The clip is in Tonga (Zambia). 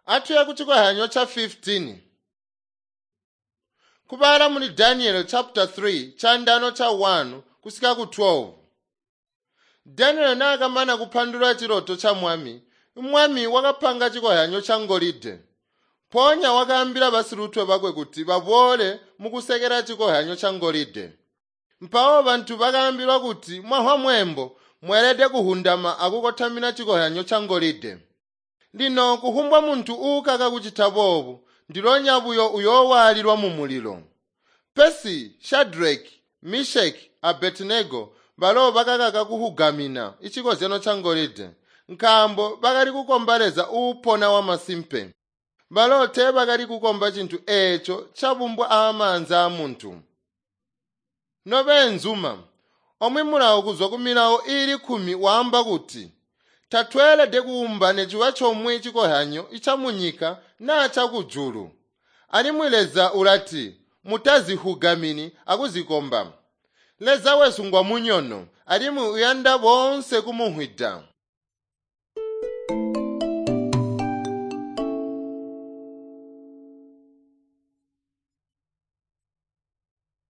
Atuye kuchikohyanyo cha 15. Kubala muli Daniel chapter 3 chandano cha 1 kusika ku 12. Daniel naakamana kupandulula chiloto cha mwami, mwami wakapanga chikohyanyo cha ngolide. Mpoonya wakaambila basilutwe bakwe kuti baboole mukusekela chikohyanyo cha ngolide. Mpawo bantu bakaambilwa kuti mwahwa mweembo mweelede kuhundama akukotamina chikohyanyo cha ngolide. Lino kuhumbwa muntu uukaka kucita boobu, ndilonya buyo uyoowaalilwa mu mulilo. Pesi Shadraki, Misheki a Abedinego balo bakakaka kuhugamina icikozyano ca ngolide, nkaambo bakali kukomba Leza uupona wamasimpe. Balo teebakali kukomba cintu eeco cabumbwa aamaanza aamuntu. Nobeenzuma, omwe mulawo kuzwa ku milawo iili kkumi waamba kuti, tatweelede kuumba neciba comwe cikohyanyo camunyika naa cakujulu. Alimwi Leza ulati, mutazihugamini akuzikomba. Leza wesu ngwamunyono alimwi uyanda boonse kumuhwida.